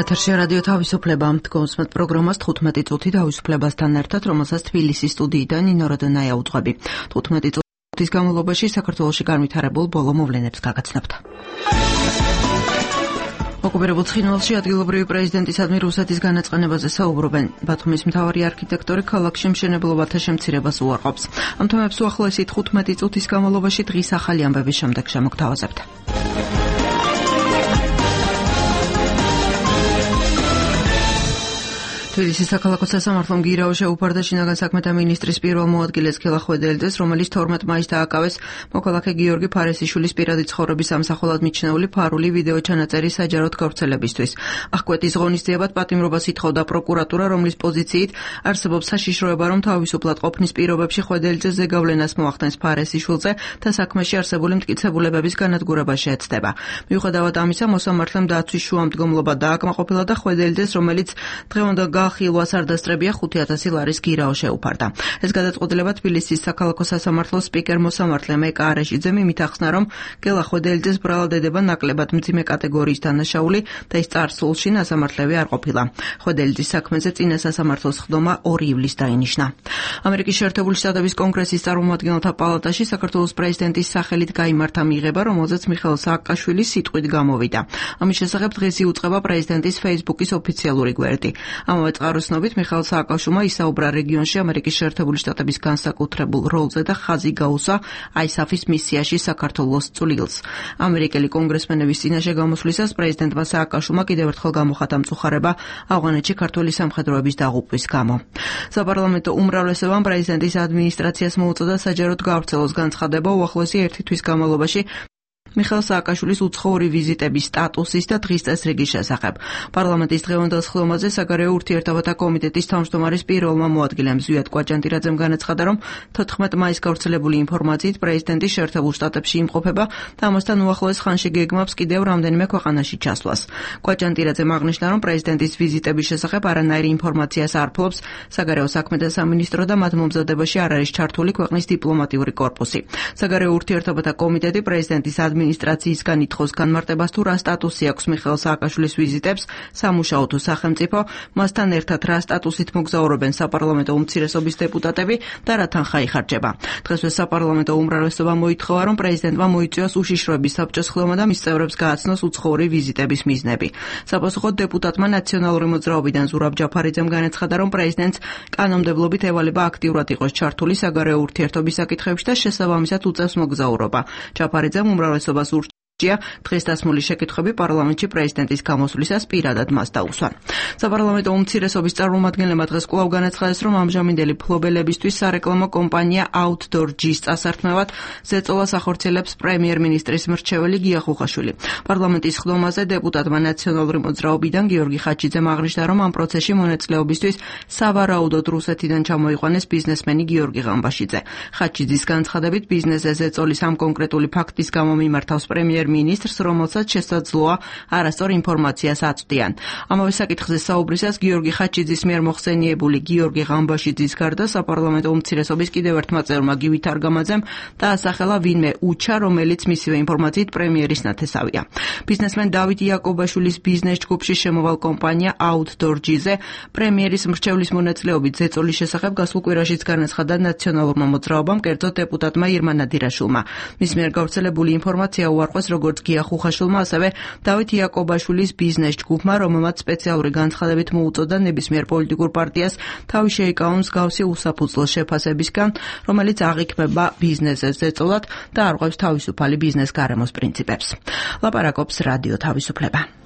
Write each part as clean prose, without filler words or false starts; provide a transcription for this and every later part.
ეთერში რადიო თავისუფლება მდგომსმეთ პროგრამას 15 წუთი თავისუფლებასთან ერთად, რომელსაც თბილისის სტუდიიდან ნინო როდონაია უძღვები. 15 წუთის განმავლობაში საქართველოში განვითარებულ ბოლო მოვლენებს გაგაცნობთ. ოკუპირებულ ცხინვალში ადგილობრივი პრეზიდენტისადმი რუსეთის განაწყენებაზე საუბრობენ. ბათუმის მთავარი არქიტექტორი ქალაქში მშენებლობათა შემცირებას უარყოფს. ამ თემებს უახლოესით 15 წუთის განმავლობაში დღის ახალი ამბების შემდეგ შემოგთავაზებთ. თბილისის საქალაქო სასამართლომ გირაო შეუფარდა შინაგან საქმეთა მინისტრის პირველ მოადგილეს ქელა ხვედელიძეს, რომელიც 12 მაისს დააკავეს მოქალაქე გიორგი ფარესიშვილის პირადი ცხოვრების ამსახველად მიჩნეული ფარული ვიდეო ჩანაწერი საჯაროდ გავრცელებისთვის. აღკვეთის ღონისძიებად პატიმრობას ითხოვდა პროკურატურა, რომლის პოზიციით არსებობს საშიშროება, რომ თავისუფლად ყოფნის პირობებში ხვედელიძე ზეგავლენას მოახდენს ფარესიშვილზე და საქმეში არსებული მტკიცებულებების განადგურება შეეცდება. მიუხედავად ამისა, მოსამართლემ დაცვის შუამდგომლობა დააკმაყოფილა და ხვედელიძეს, რომელიც დღევანდელ ხილვას არ დასწრებია 5,000 ლარის გირაო შეუფარდა. ეს გადაწყვეტილება თბილისის საქალაქო სასამართლოს სპიკერ მოსამართლე მეკა არეშიძემ იმით ახსნა, რომ გელა ხვედელიძეს ბრალადება ნაკლებად მძიმე კატეგორიის დანაშაული და ის წარსულში სასამართლევი არ ყოფილა. ხვედელიძის საქმეზე წინა სასამართლოს ხდომა 2 ივლისს დაინიშნა. ამერიკის შეერთებული შტატების კონგრესის წარმომადგენელთა პალატაში საქართველოს პრეზიდენტის სახელით გაიმართა მიღება, რომელზეც მიხეილ სააკაშვილის სიტყვით გამოვიდა. ამის შესახებ დღეს იუწყება პრეზიდენტის Facebook-ის ოფიციალური გვერდი. წყაროსნობით მიხეილ სააკაშვილმა ისაუბრა რეგიონში ამერიკის შეერთებული შტატების განსაკუთრებულ როლზე და ხაზი გაუსვა ISAF-ის მისიაში საქართველოს წვლილს. ამერიკელი კონგრესმენების წინაშე გამოსვლისას პრეზიდენტმა სააკაშვილმა კიდევ ერთხელ გამოხატა მწუხარება ავღანეთში ქართული სამხედროების დაღუპვის გამო. საპარლამენტო უმრავლესობამ პრეზიდენტის ადმინისტრაციას მოუწოდა საჯაროდ გავრცელოს განცხადება უახლოესი 1 თვის განმავლობაში მიხეილ სააკაშვილის უცხოური ვიზიტების სტატუსის და დღის წესრიგის შესახებ. პარლამენტის დღევანდელ სხდომაზე საგარეო ურთიერთობათა კომიტეტის თავმჯდომარის პირველმა მოადგილემ ზვიად კვაჭანტირაძემ განაცხადა, რომ 14 მაისს გავრცელებული ინფორმაციით პრეზიდენტი შეერთებულ შტატებში იმყოფება და ამასთან უახლოეს ხანში გეგმავს კიდევ რამდენიმე ქვეყანაში ჩასვლას. კვაჭანტირაძემ აღნიშნა, რომ პრეზიდენტის ვიზიტების შესახებ არანაირი ინფორმაციას არ ფლობს საგარეო საქმეთა სამინისტრო და მათ მომზადებაში არ არის ჩართული ქვეყნის დიპლომატიური კორპუსი. საგარეო ურთიერთობათა კომიტეტი პრეზიდენტის ადმინისტრაციისგან ითხოვს განმარტებას თუ რა სტატუსი აქვს მიხეილ სააკაშვილის ვიზიტებს, სამუშაო თუ სახელმწიფო, მასთან ერთად რა სტატუსით მოგზაურობენ საპარლამენტო უმცირესობის დეპუტატები და რა თანხა იხარჯება. დღესვე საპარლამენტო უმრავლესობა მოითხოვა, რომ პრეზიდენტმა მოიწვიოს უშიშროების საბჭოს ხდომა და მის წევრებს გააცნოს უცხოური ვიზიტების მიზნები. საპასუხოდ დეპუტატმა ნაციონალური მოძრაობიდან ზურაბ ჯაფარიძემ განაცხადა, რომ პრეზიდენტს კანონმდებლობით ევალება აქტიურად იყოს ჩართული საგარეო ურთიერთობის საკითხებში და შესაბამისად უწევს მოგზაურობა. ჯაფარიძემ უმრავლესობას ურჩია დღეს დასმული შეკითხვები პარლამენტში პრეზიდენტის გამოსვლისას პირადად მას დაუსვან. საპარლამენტო უმცირესობის წარმომადგენლებმა დღეს კვლავ განაცხადეს, რომ ამჟამინდელი ფლობელებისთვის სარეკლამო კომპანია Outdoor G-ს წასართმევად ზეწოლას ახორციელებს პრემიერ-მინისტრის მრჩეველი გია ხუხაშვილი. პარლამენტის ხდომაზე დეპუტატმა ნაციონალური მოძრაობიდან გიორგი ხაჩიძემ აღნიშნა, რომ ამ პროცესში მონაწილეობისთვის სავარაუდოდ რუსეთიდან ჩამოიყვანეს ბიზნესმენი გიორგი ღამბაშიძე. ხაჩიძის განცხადებით ბიზნესზე ზეწოლის ამ კონკრეტული ფაქტის გამო მიმართავს პრემიერ-მინისტრს, რომელსაც შესაძლოა არასწორ ინფორმაციას აწვდიან. ამავე საკითხზე საუბრისას გიორგი ხაჩიძის მიერ მოხსენიებული გიორგი ღამბაშიძის გარდა საპარლამენტო უმცირესობის კიდევ ერთმა წევრმა გივით არგამაძემ დაასახელა ვინმე უჩა, რომელიც მისივე ინფორმაციით პრემიერის ნათესავია. ბიზნესმენ დავით იაკობაშვილის ბიზნეს ჯგუფში შემოვალ კომპანია Outdoor G-ზე პრემიერის მრჩევლის მონაწილეობით ზეწოლის შესახებ გასულ კვირაშიც განაცხადა ნაციონალურმა მოძრაობამ, კერძოდ დეპუტატმა ირმა ნადირაშვილმა. მის მიერ გავრცელებული ინფორმაცია უარყვეს როგორც გია ხუხაშვილმა, ასევე დავით იაკობაშვილის ბიზნეს ჯგუფმა, რომელმაც სპეციალური განცხადებით მოუწოდა ნებისმიერ პოლიტიკურ პარტიას თავი შეიკავონ მსგავსი უსაფუძვლო შეფასებისგან, რომელიც აღიქმება ბიზნესზე ზეწოლად და არღვევს თავისუფალი ბიზნეს გარემოს პრინციპებს. ლაპარაკობს რადიო თავისუფლება.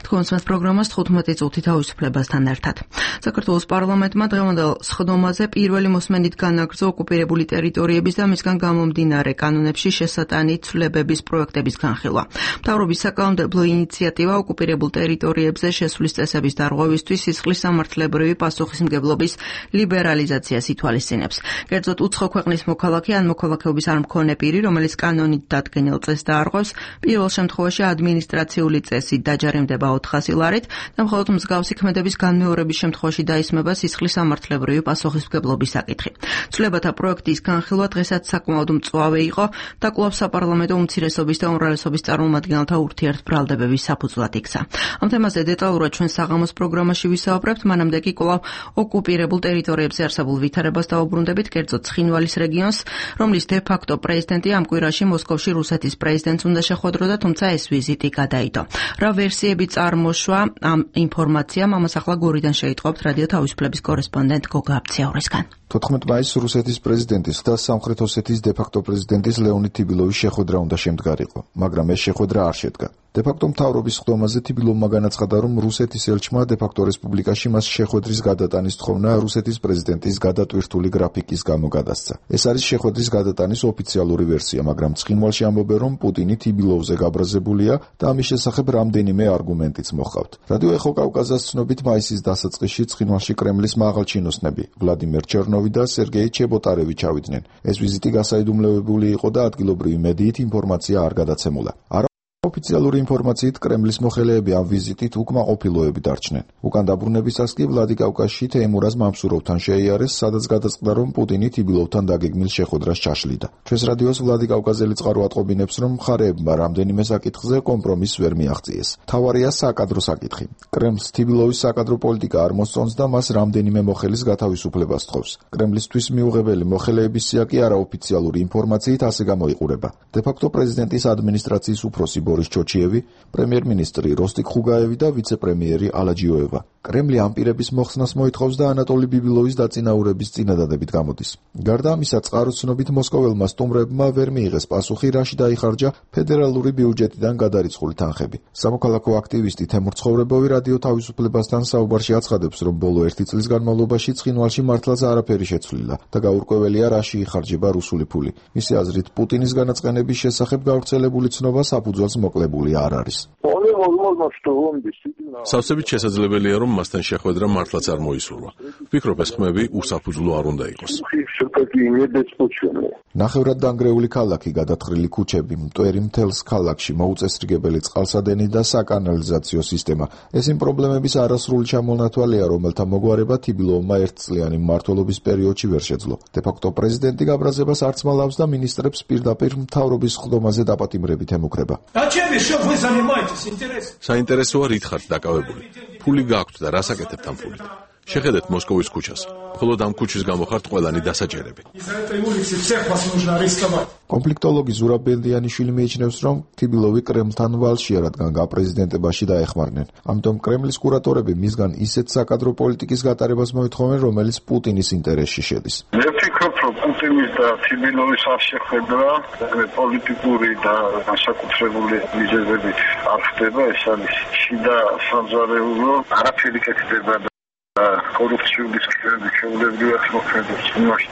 თქონსმეთ პროგრამას 15 წუთი თავისუფლებასთან ერთად. საქართველოს პარლამენტმა დღევანდელ სხდომაზე პირველი მოსმენით განაგრძო ოკუპირებული ტერიტორიების და მისგან გამომდინარე კანონებში შესატანი ცვლილებების პროექტების განხილვა. მთავრობის საკანონმდებლო ინიციატივა ოკუპირებულ ტერიტორიებზე შესვლის წესების დარღვევისთვის სისხლის სამართლებრივი პასუხისმგებლობის ლიბერალიზაციას ითვალისწინებს. კერძოდ უცხო ქვეყნის მოქალაქე ან მოქალაქეობის არ მქონე პირი, რომელიც კანონით დადგენილ წესს დაარღვევს, პირველ შემთხვევაში ადმინისტრაციული წესით დაჯარიმდება 400 ლარით და მხოლოდ მსგავსი ქმედების განმეორების შემთხვევაში დაისმება სისხლის სამართლებრივი პასუხისმგებლობის საკითხი. ცვლილებათა პროექტის განხილვა დღესაც საკმაოდ მწვავე იყო და კვლავ საპარლამენტო უმცირესობის და უმრავლესობის წარმომადგენელთა ურთიერთბრალდებების საფუძვლად იქცა. ამ თემაზე დეტალურად ჩვენ საღამოს პროგრამაში ვისაუბრებთ, მანამდე კი კვლავ ოკუპირებულ ტერიტორიებზე არსებულ ვითარებას დავუბრუნდებით, კერძოდ ცხინვალის რეგიონს, რომლის დე-ფაქტო პრეზიდენტი ამ კვირაში მოსკოვში რუსეთის პრეზიდენტს უნდა შეხვედროდა, თუმცა ეს ვიზიტი გადაიდო. რა ვერსიები წარმოშვა ამ ინფორმაციამ, ამას ახლა გორიდან შეიტყობთ რადიო თავისუფლების კორესპონდენტ გოგა აბციაურისგან. 14 მაისს რუსეთის პრეზიდენტის და სამხრეთ ოსეთის დე-ფაქტო პრეზიდენტის ლეონიდ თიბილოვის შეხვედრა უნდა შემდგარიყო, მაგრამ ეს შეხვედრა არ შედგა. დე-ფაქტო მთავრობის ხდომაზე თიბილოვმა განაცხადა, რომ რუსეთის ელჩმა დე-ფაქტო რესპუბლიკაში მას შეხვედრის გადატანის თხოვნა რუსეთის პრეზიდენტის გადატვირთული გრაფიკის გამო გადასცა. ეს არის შეხვედრის გადატანის ოფიციალური ვერსია, მაგრამ ცხინვალში ამბობენ, რომ პუტინი თიბილოვზე გაბრაზებულია და ამის შესახებ რამდენიმე არგუმენტიც მოჰყავთ. რადიო ეხო კავკაზას ცნობით მაისის დასაწყისში ცხინვალში კრემლის მაღალჩინოსნები ვლადიმერ ჩერნოვი და სერგეი ჩებოტარევი ჩავიდნენ. ეს ვიზიტი გასაიდუმლოებული იყო და ადგილობრივი მედიით ინფორმაცია არ გადაცემულა. ოფიციალური ინფორმაციით კრემლის მოხელეები ამ ვიზიტით უკმაყოფილოები დარჩნენ. უკან დაბრუნებისას კი ვლადიკავკაზში თეიმურაზ მამსუროვთან შეიარეს, სადაც გადაწყდა, რომ პუტინი თიბილოვთან დაგეგმილ შეხვედრას ჩაშლიდა. ჩვენს რადიოს ვლადიკავკაზელი წყარო ატყობინებს, რომ მხარეებმა რამდენიმე საკითხზე კომპრომისს ვერ მიაღწიეს. მთავარია საკადრო საკითხი. კრემლს თიბილოვის საკადრო პოლიტიკა არ მოსწონს და მას რამდენიმე მოხელის გათავისუფლებას თხოვს. კრემლისთვის მიუღებელი მოხელეების სია კი არაოფიციალური ინფორმაციით ასე გამოიყურება. დე-ფაქტო პრეზიდენტის ადმინისტრაციის უფროსი ბორის ჩოჩიევი, პრემიერ-მინისტრი როსტიკ ხუგაევი და ვიცე-პრემიერი ალაჯიოევა. კრემლი ამ პირების მოხსნას მოითხოვს და ანატოლი ბიბილოვის დაწინაურების წინადადებით გამოდის. გარდა ამისა, წყაროს ცნობით მოსკოველმა სტუმრებმა ვერ მიიღეს პასუხი, რაში დაიხარჯა ფედერალური ბიუჯეტიდან გადარიცხული თანხები. სამოქალაქო აქტივისტი თემურ ცხოვრებოვი რადიო თავისუფლებასთან საუბარში აცხადებს, რომ ბოლო 1 წლის განმავლობაში ცხინვალში მართლაც არაფერი შეცვლილა და გაურკვეველია, რაში იხარჯება რუსული ფული. მისი აზრით, პუტინის განაწყენების შესახებ გავრცელებული ცნობა საფუძველს მოკლებული არ არის. სავსებით შესაძლებელია, რომ მასთან შეხვედრა მართლაც არ მოისურვა. ვფიქრობ, ეს ხმები უსაფუძვლო არ უნდა იყოს. ნახევრად დანგრეული ქალაქი, გადათხრილი ქუჩები, მტვერი მთელს ქალაქში, მოუწესრიგებელი წყალსადენი და საკანალიზაციო სისტემა. ეს იმ პრობლემების არასრული ჩამონათვალეა, რომელთა მოგვარება თიბილოვმა ერთწლიანი მმართველობის პერიოდში ვერ შეძლო. დე-ფაქტო პრეზიდენტი გაბრაზებას არც მალავს და მინისტრებს პირდაპირ მთავრობის ხდომაზე დაპატიმრებით ემუქრება. საინტერესოა, რით ხართ დაკავებული. ფული გაქვთ და რას აკეთებთ ამ ფულით? შეხედეთ მოსკოვის ქუჩას. მხოლოდ ამ ქუჩის გამო ხართ ყველანი დასაჭერები. კონფლიქტოლოგი ზურაბ ბელდიანიშვილი მიიჩნევს, რომ თიბილოვი კრემლთან ვალშია, რადგან გაპრეზიდენტებაში დაეხმარნენ. ამიტომ კრემლის კურატორები მისგან ისეთ საკადრო პოლიტიკის გატარებას მოითხოვენ, რომელიც პუტინის ინტერესში შედის. მე ვფიქრობ, რომ პუტინის და თიბილოვის არ შეხვედრა პოლიტიკური და განსაკუთრებული მიზეზებით არ ხდება. ეს არის შიდა სამზარეულო, არაფერი კეთდება. კორუფციული სქემები შეულებრივად მოქმედებს.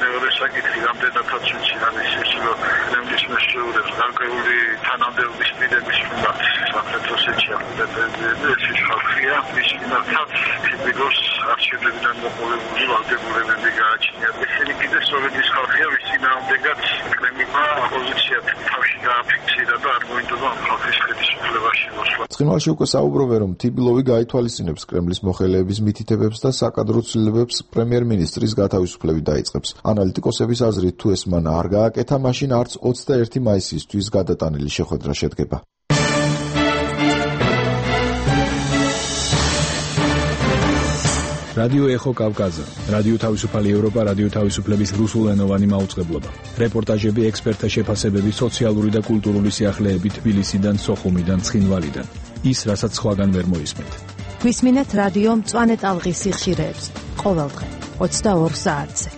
მეორე საკითხი რამდენადაც ვიცი, არის ის, რომ კრემლის მეშვეურებს გარკვეული თანამდებობის მიდების უნდათ სამხრეთ ოსეთში პრეზიდენტი ეს ხალხია, მის მიმართაც თიბილოს არჩევნებიდან მოყოლებული ვალდებულებები გააჩნიათ. ესენი კიდე სწორედ ის ხალხია, ვის წინააღმდეგაც კრემლმა პოზიციად თავში გააფიქსირა და არ მოინდომა ხალხის ხელისუფლებაში მოსვლა. ცხინვალში უკვე საუბრობენ, რომ თიბილოვი გაითვალისწინებს კრემლის მოხელეების მითითებებს და საკადრო ცვლილებებს პრემიერ-მინისტრის გათავისუფლებით დაიწყებს. ანალიტიკოსების აზრით, თუ ეს მან არ გააკეთა, მაშინ არც 21 მაისისთვის გადატანილი შეხვედრა შედგება. რადიო ეხო კავკაზა, რადიო თავისუფალი ევროპა, რადიო თავისუფლების რუსულენოვანი მაუწყებლობა. რეპორტაჟები, ექსპერტთა შეფასებები, სოციალური და კულტურული სიახლეები თბილისიდან, სოხუმიდან, ცხინვალიდან. ის, რასაც სხვაგან ვერ მოისმენთ. გვისმინეთ რადიო მწვანე ტალღის სიხშირეებს ყოველდღე 22 საათზე.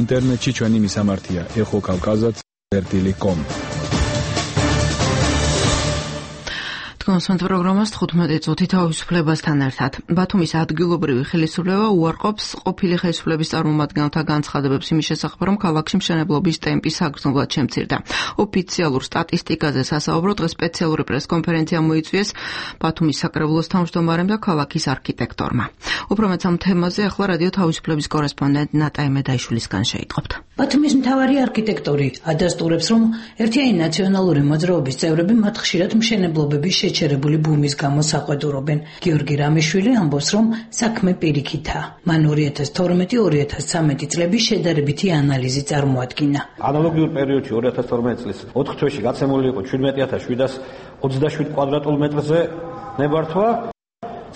ინტერნეტში ჩვენი მისამართია exokavkazats.com. კონსულტ პროგრამას 15 წუთი თავისუფლებასთან ერთად. ბათუმის ადგილობრივი ხელისუფლება უარყოფს ყოფილი ხელისუფლების წარმომადგენელთა განცხადებებს იმის შესახებ, რომ ქალაქში მშენებლობის ტემპი საგრძნობლად შემცირდა. ოფიციალურ სტატისტიკაზე სასაუბრო დღეს სპეციალური პრესკონფერენცია მოიწვიეს ბათუმის საკრებულოს თავმჯდომარემ და ქალაქის არქიტექტორმა. უფრო მეც ამ თემაზე ახლა რადიო თავისუფლების კორესპონდენტ ნატა იმედაიშვილისგან შეიტყობთ. ბათუმის მთავარი არქიტექტორი ადასტურებს, რომ ერთიანი ნაციონალური მოძრაობის წევრები მათ ხშირად მშენებლობების შეჩერებული ბუმის გამო საყვედურობენ. გიორგი რამიშვილი ამბობს, რომ საქმე პირიქითაა. მან 2012-2013 წლების შედარებითი ანალიზი წარმოადგინა. ანალოგიურ პერიოდში 2012 წლის 4 თვეში გაცემული იყო 17727 კვადრატულ მეტრზე ნებართვა.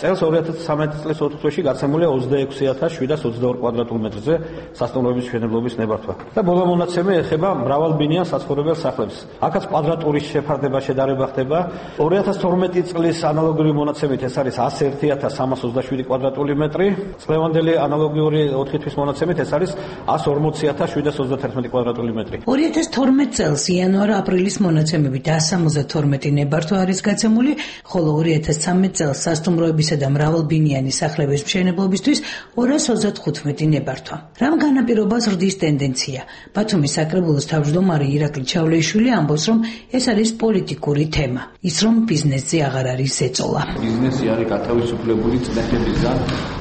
წელს 2013 წლის 4 თვეში გაცემულია 26722 კვადრატულ მეტრზე სასტუმროების მშენებლობის ნებართვა. და ბოლო მონაცემი ეხება მრავალბინიან საცხოვრებელ სახლებს. აქაც კვადრატურის შეფარდება შედარება ხდება. 2012 წლის ანალოგიური მონაცემით ეს არის 101327 კვადრატული მეტრი. წლევანდელი ანალოგიური 4 თვის მონაცემით ეს არის 140731 კვადრატული მეტრი. 2012 წელს იანვარ-აპრილის მონაცემებით 172 ნებართვა არის გაცემული, ხოლო 2013 წელს სასტუმროების და მრავალბინიანი სახლების მშენებლობისთვის 235 ნებართვა. რამ განაპირობას ზრდის ტენდენცია? ბათუმის საკრებულოს თავმჯდომარე ირაკლი ჩავლეიშვილი ამბობს, რომ ეს არის პოლიტიკური თემა. ის რომ ბიზნესზე აღარ არის ზეწოლა. ბიზნესი არის გათავისუფლებული წნეხებისგან.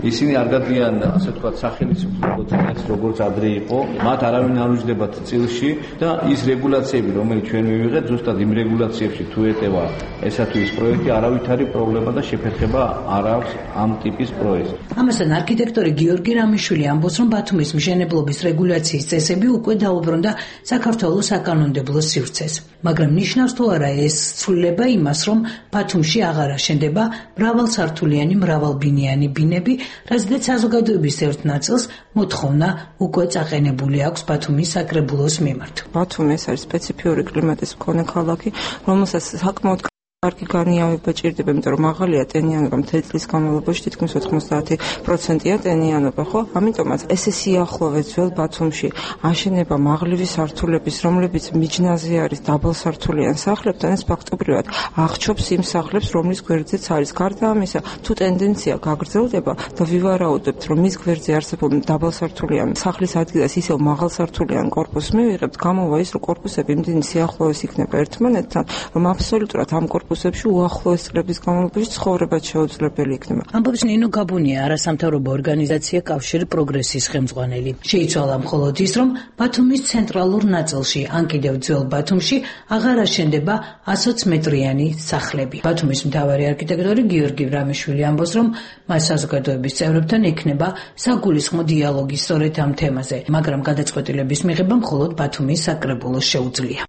ისინი არ გადიან, ასე ვთქვათ, სახელმწიფო წნეხს, როგორც ადრე იყო. მათ არავინ არ უჯდებათ წილში და ის რეგულაციები, რომელიც ჩვენ მივიღეთ, ზუსტად იმ რეგულაციებში თუ ეტევა ესა თუ ის პროექტი, არავითარი პრობლემა და შეფერხება არ აქვს ამ ტიპის პროექტს. ამასთან არქიტექტორი გიორგი რამიშვილი ამბობს, რომ ბათუმის მშენებლობის რეგულაციის წესები უკვე დაუბრუნდა საქართველოს საკანონმდებლო სივრცეს. მაგრამ ნიშნავს თუ არა ეს ცვლილება იმას, რომ ბათუმში აღარ აშენდება მრავალსართულიანი მრავალბინიანი ბინები, რაზეც საზოგადოების ერთ ნაწილს მოთხოვნა უკვე წაყენებული აქვს ბათუმის საკრებულოს მიმართ. ბათუმი ეს არის სპეციფიური კლიმატის მქონე ქალაქი, რომელსაც საკმაოდ კარგი განიავება ჭირდება, იმიტომ რომ მაღალია ტენიანობა მთელი წლის განმავლობაში, თითქმის 90%-ია ტენიანობა, ხო? ამიტომაც ესე სიახლოვე ძველ ბათუმში აშენება მაღლივი სართულების, რომლებიც მიჯნაზე არის დაბალსართულიან სახლებთან, ეს ფაქტობრივად აღჩობს იმ სახლებს, რომლის გვერდზეც არის. გარდა ამისა, თუ ტენდენცია გაგრძელდება და ვივარაუდებთ, რომ მის გვერდზე არსებულ დაბალსართულიან სახლის ადგილას ისევ მაღალსართულიან კორპუსს მივიღებთ, გამოვა ის, რომ კორპუსები იმდენი სიახლოვეს იქნება ერთმანეთთან, რომ აბსოლუტურად ამ კორპუსებში უახლოეს წლების განმავლობაში ცხოვრებაც შეუძლებელი იქნება. ამბობს ნინო გაბუნია, არასამთავრობო ორგანიზაცია კავშირი პროგრესის ხელმძღვანელი. შეიცვალა მხოლოდ ის, რომ ბათუმის ცენტრალურ ნაწილში, ან კიდევ ძველ ბათუმში აღარ აშენდება 120 მეტრიანი სახლები. ბათუმის მთავარი არქიტექტორი გიორგი რამიშვილი ამბობს, რომ მას საზოგადოების წევრებთან ექნება საგულისხმო დიალოგი სწორედ ამ თემაზე, მაგრამ გადაწყვეტილების მიღება მხოლოდ ბათუმის საკრებულოს შეუძლია.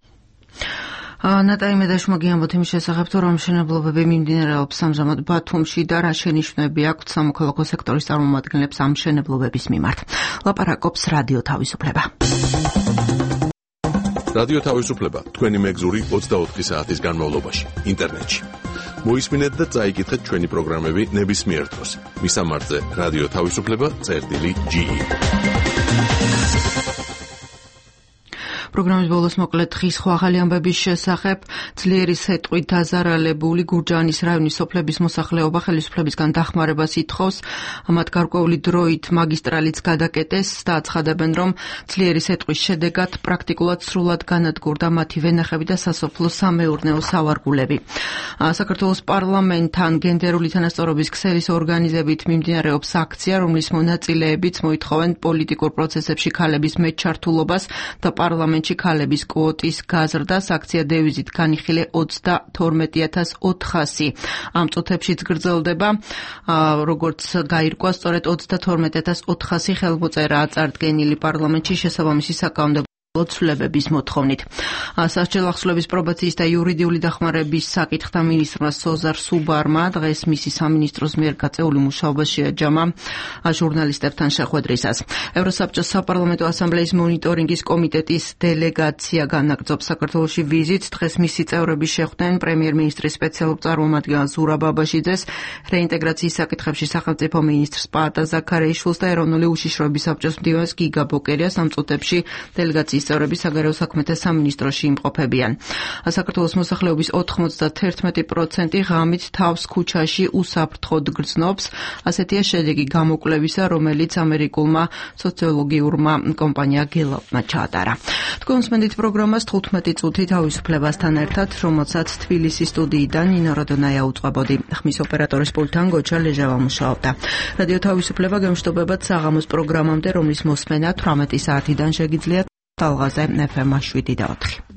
ნატაი მედაშმაგი ამბობთ იმის შესახებ, რომ მშენებლობები მიმდინარეობს ამჟამად ბათუმში და რა შენიშვნები აქვთ სამოქალაქო სექტორის წარმომადგენლებს ამ მშენებლობების მიმართ. ლაპარაკობს რადიო თავისუფლება. რადიო თავისუფლება თქვენი მეგზური 24 საათის განმავლობაში ინტერნეტში. მოისმინეთ და წაიკითხეთ ჩვენი პროგრამები ნებისმიერ დროს. მისამართზე რადიო თავისუფლება.ge. პროგრამის ბოლოს მოკლედ ხის ახალი ამბების შესახებ ძლიერი სეტყვით დაზარალებული გურჯაანის რაიონის სოფლების მოსახლეობა ხელისუფლებისგან დახმარებას ითხოვს. მათ გარკვეული დროით მაგისტრალიც გადაკეტეს და აცხადებენ, რომ ძლიერი სეტყვის შედეგად პრაქტიკულად სრულად განადგურდა მათი ვენახები და სასოფლო სამეურნეო სავარგულები. საქართველოს პარლამენტთან გენდერული თანასწორობის ქსელის ორგანიზებით მიმდინარეობს აქცია, რომლის მონაწილეებიც მოითხოვენ პოლიტიკურ პროცესებში ქალების მეჩართულობას და პარლამენტში ქალების კვოტის გაზრდას. აქცია დევიზით განიხილე 22400. ამ წუთებშიც გრძელდება, როგორც გაირკვა, სწორედ 22400 ხელმოწერაა წარდგენილი პარლამენტში შესაბამისი საკანონმდებლო ცვლილებების მოთხოვნით. სასჯელ ახსნების პრობაციის და იურიდიული დახმარების საკითხთა მინისტრმა სოზარ სუბარმა დღეს მისი სამინისტროს მიერ გაწეული მუშაობა შეაჯამა ჟურნალისტებთან შეხვედრისას. ევროსაბჭოს საპარლამენტო ასამბლეის მონიტორინგის კომიტეტის დელეგაცია განაგრძობს საქართველოში ვიზიტს. დღეს მისი წევრები შეხვდნენ პრემიერ-მინისტრის სპეციალურ წარმომადგენელს ზურაბ აბაშიძეს, რეინტეგრაციის საკითხებში სახელმწიფო მინისტრს პაატა ზაქარეიშვილს და ეროვნული უშიშროების საბჭოს მდივანს გიგა ბოკერიას. ამ წუთებში დელეგაციის წევრები საგარეო საქმეთა სამინისტროში იმყოფებიან. საქართველოს მოსახლეობის 91% ღამით თავს ქუჩაში უსაფრთხოდ გრძნობს. ასეთია შედეგი გამოკვლევისა, რომელიც ამერიკულმა სოციოლოგიურმა კომპანია გელაპმა ჩაატარა. თქვენ უსმენთ პროგრამას 15 წუთი თავისუფლებასთან ერთად, რომელსაც თბილისის სტუდიიდან ნინო როდონაია უწყებოდი. ხმის ოპერატორის პულტთან გოჩა ლეჟავა მუშაობდა. რადიო თავისუფლება გემშვიდობებათ საღამოს პროგრამამდე, რომლის მოსმენა 18 საათიდან შეგიძლიათ. ტალღაზე FM 7 და 4.